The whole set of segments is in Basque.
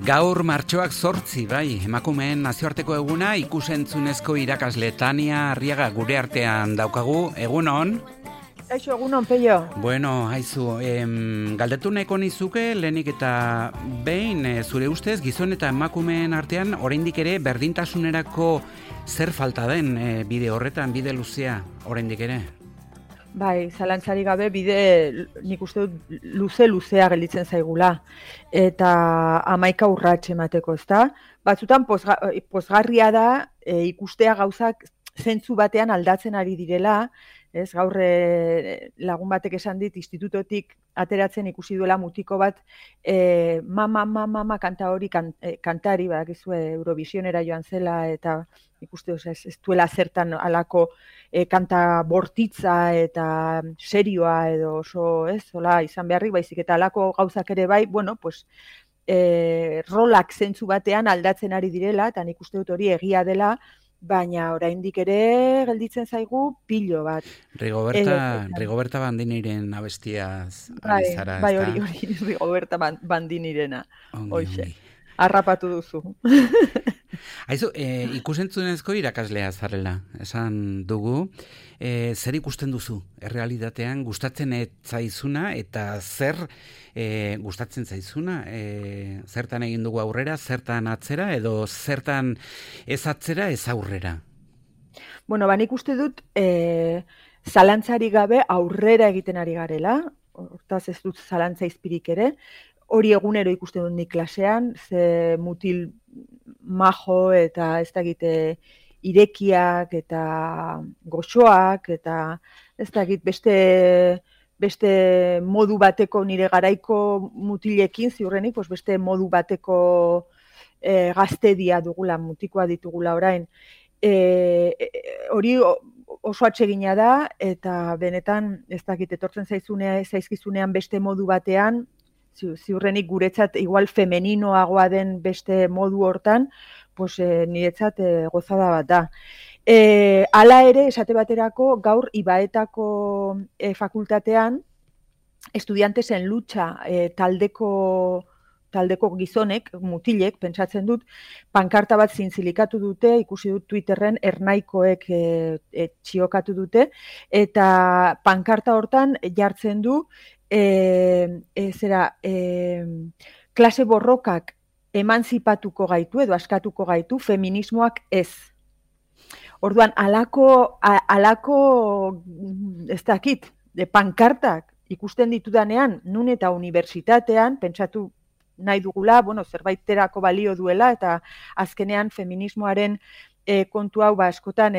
Gaur martxoak 8, bai, emakumeen nazioarteko eguna ikusentzunezko irakasle Tania Arriaga gure artean daukagu. Egunon? Kaixo, egunon, Peio. Bueno, haizu, galdetu nahiko nizuke, lehenik eta behin, zure ustez, gizon eta emakumeen artean, oraindik ere berdintasunerako zer falta den bide horretan, bide luzea, oraindik ere? Bai, zalantzari gabe bide nik uste dut luzea gelditzen zaigula. Eta 11 urrats emateko, ezta? Batzutan pozgarria da ikustea gauzak zentzu batean aldatzen ari direla, ez? Gaur lagun batek esan dit institutotik ateratzen ikusi duela mutiko bat mama kanta hori kantari, badakizue Eurovisionera joan zela eta ikuste ez duela zertan alako kanta bortitza eta serioa edo oso, ez, hola izan beharrik, baizik eta alako gauzak ere bai, bueno, pues rolak zentzu batean aldatzen ari direla, eta nik uste dut hori egia dela, baina oraindik ere gelditzen zaigu pilo bat. Rigoberta Bandiniren abestiaz ari zara, bai, hori Rigoberta Bandinirena. Hoxe, harrapatu duzu. Haizu, ikusentzunezko irakaslea zarela, esan dugu. Zer ikusten duzu, errealitatean, gustatzen ez zaizuna, eta zer gustatzen zaizuna? Zertan egin dugu aurrera, zertan atzera, edo zertan ez atzera, ez aurrera? Bueno, nik uste dut zalantzari gabe aurrera egiten ari garela, hortaz ez dut zalantza izpirik ere, hori egunero ikusten dut nik klasean, ze mutil majo eta ez dakit irekiak eta goxoak eta ez dakit beste modu bateko nire garaiko mutilekin ziurrenik, beste modu bateko gaztedia dugula, mutikoa ditugula orain. Hori oso atsegina da eta benetan ez dakit etortzen zaizkizunean beste modu batean, ziurrenik guretzat igual femeninoagoa den beste modu hortan, pues niretzat gozada bat da. Hala ere, esate baterako, gaur Ibaetako fakultatean, estudiantesen lucha taldeko gizonek, mutilek, pentsatzen dut, pankarta bat zintzilikatu dute, ikusi dut Twitterren ernaikoek txiokatu dute, eta pankarta hortan jartzen du, klase borrokak emantzipatuko gaitu edo askatuko gaitu, feminismoak ez. Orduan, alako ez dakit, pankartak ikusten ditudanean, nun eta unibertsitatean, pentsatu nahi dugula, bueno, zerbaiterako balio duela, eta azkenean feminismoaren kontu hau askotan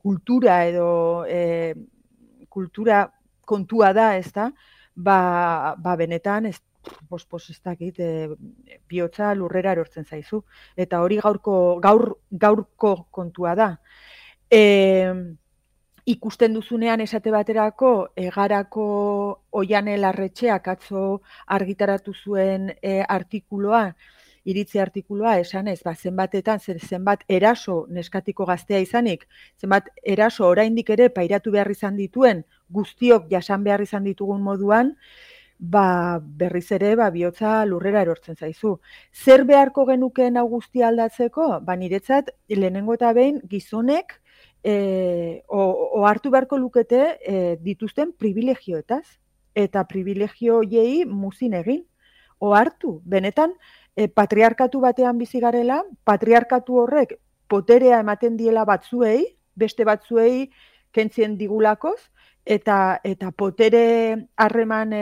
kultura edo kultura kontua da, ez da, benetan, ez dakit, bihotza lurrera erortzen zaizu. Eta hori gaurko kontua da. Ikusten duzunean esate baterako, Egarako Oiane Larretxeak atzo argitaratu zuen iritzi artikuloa, esanez, zenbat eraso neskatiko gaztea izanik, zenbat eraso oraindik ere pairatu behar izan dituen, guztiok jasan behar izan ditugun moduan, berriz ere bihotza lurrera erortzen zaizu. Zer beharko genukeen hau guztia aldatzeko? Niretzat, lehenengo eta behin, gizonek ohartu beharko lukete dituzten privilegioetaz, eta privilegio hoiei muzin egin. Ohartu, benetan, patriarkatu batean bizi garela, patriarkatu horrek poterea ematen diela batzuei, beste batzuei kentzien digulakoz, eta potere harreman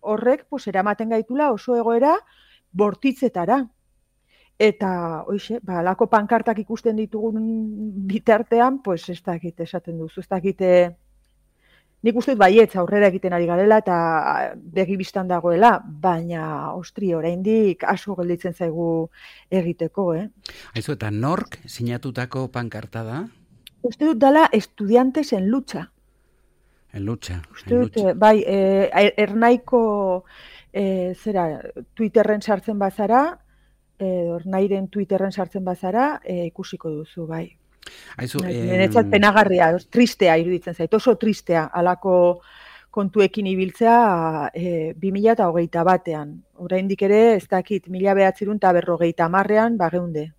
horrek eramaten gaitula oso egoera bortitzetara. Eta, hoixe, alako pankartak ikusten ditugun bitartean, ez dakit esaten duzu, ez dakit nik uste dut baietz aurrera egiten ari garela eta begibistan dagoela, baina ostri oraindik asko gelditzen zaigu egiteko, Aizu, eta nork sinatutako pankarta da? Uste dut dela estudiantes en lucha. En lucha. Uste dut, bai, ernaiko Twitterren sartzen bazara, ernairen Twitterren sartzen bazara, ikusiko duzu, bai. Aizu, Niretzat penagarria, tristea iruditzen zait, oso tristea, alako kontuekin ibiltzea 2021ean. Oraindik ere, ez dakit, 1950ean bageunde.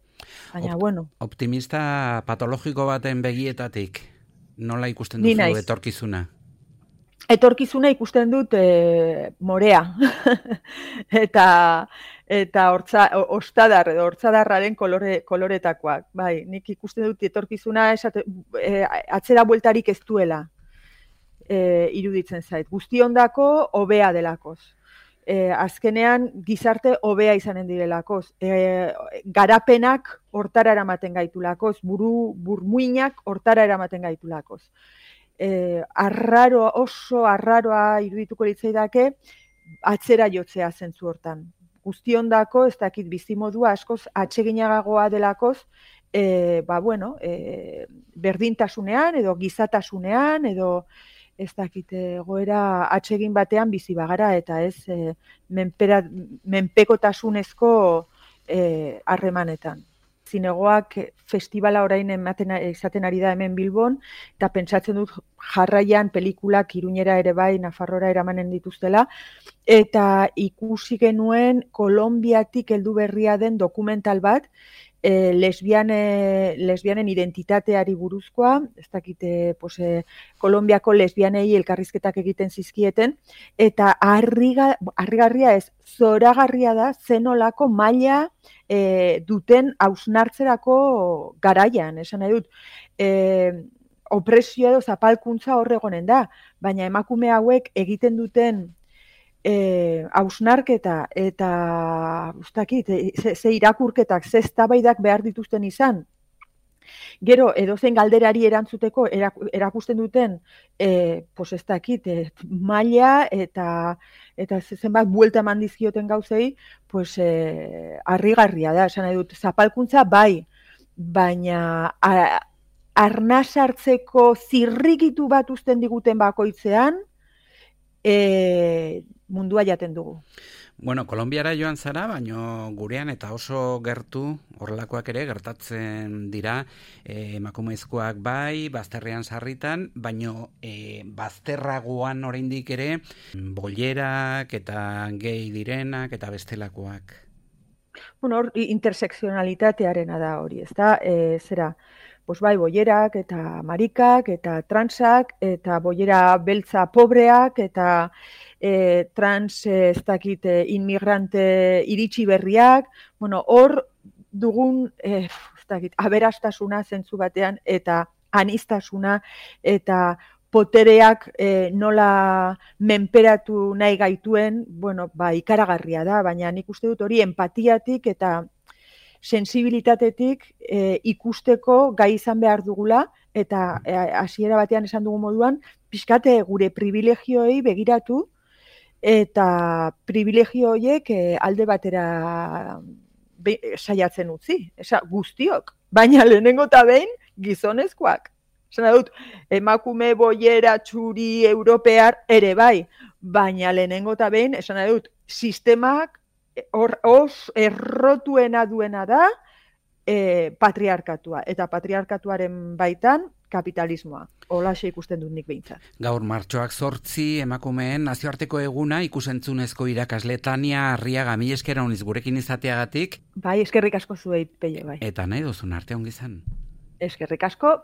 Baina, bueno. Optimista patologiko baten begietatik, nola ikusten Ni duzu naiz. etorkizuna? Etorkizuna ikusten dut morea. eta ostadar edo hortzadarraren koloretakoak. Bai, nik ikusten dut etorkizuna atzera bueltarik ez duela iruditzen zait. Guztiondako hobea delakoz. Azkenean gizarte hobea izanen direlakoz. Garapenak hortara eramaten gaitulakoz, burmuinak hortara eramaten gaitulakoz. Oso arraroa irudituko litzaidake atzera jotzea zentzu hortan. Guztiondako, ez dakit bizimodua askoz atseginagagoa delakoz, berdintasunean edo gizatasunean edo ez dakit egoera atsegin batean bizi bagara eta ez menpekotasunezko harremanetan. Zinegoak festivala orain izaten ari da hemen Bilbon, eta pentsatzen dut jarraian pelikulak Iruñera ere bai, Nafarrora eramanen dituztela, eta ikusi genuen Kolonbiatik heldu berria den dokumental bat, lesbianen identitateari buruzkoa, ez dakit, Kolonbiako lesbianei elkarrizketak egiten zizkieten, eta harrigarria ez, zoragarria da zenolako maila duten hausnartzerako garaian, esan nahi dut, opresio edo zapalkuntza horregonen da, baina emakume hauek egiten duten hausnarketa eta ze irakurketak, ze eztabaidak behar dituzten izan. Gero, edozein galderari erantzuteko erakusten duten ez dakit, maila eta zenbat buelta eman dizkioten gauzei, harrigarria da, esan nahi dut, zapalkuntza bai, baina arnas hartzeko zirrikitu bat uzten diguten bakoitzean, mundua jaten dugu. Bueno, Kolonbiara joan zara, baino gurean eta oso gertu, horrelakoak ere gertatzen dira, emakumezkoak bai, bazterrean sarritan, baino bazterragoan oraindik ere, bollerak eta gay direnak eta bestelakoak. Bueno, hor intersekzionalitatearena da hori, ezta? Zera, bai, bollerak eta marikak eta transak eta bollera beltza pobreak eta trans ez dakit inmigrante iritsi berriak, bueno, hor dugun ez dakit, aberastasuna zentzu batean eta aniztasuna eta potereak nola menperatu nahi gaituen, bueno, ikaragarria da, baina nik uste dut hori empatiatik eta sensibilitatetik ikusteko gai izan behar dugula eta hasiera batean esan dugu moduan, pixkate gure privilegioei begiratu eta privilegio horiek alde batera saiatzen utzi, guztiok, baina lehenengo eta behin gizonezkoak. Esan dut, emakume bollera txuri europear ere bai, baina lehenengo eta behin, esan dut, sistemak errotuena duena da patriarkatua, eta patriarkatuaren baitan kapitalismoa. Holaxe ikusten dut nik behintzat. Gaur martxoak 8 emakumeen nazioarteko eguna ikusentzunezko irakasle Tania Arriaga, mila esker honiz gurekin izateagatik. Bai, eskerrik asko zuei, Peio, bai. Eta nahi duzun arte ongi izan. Eskerrik asko.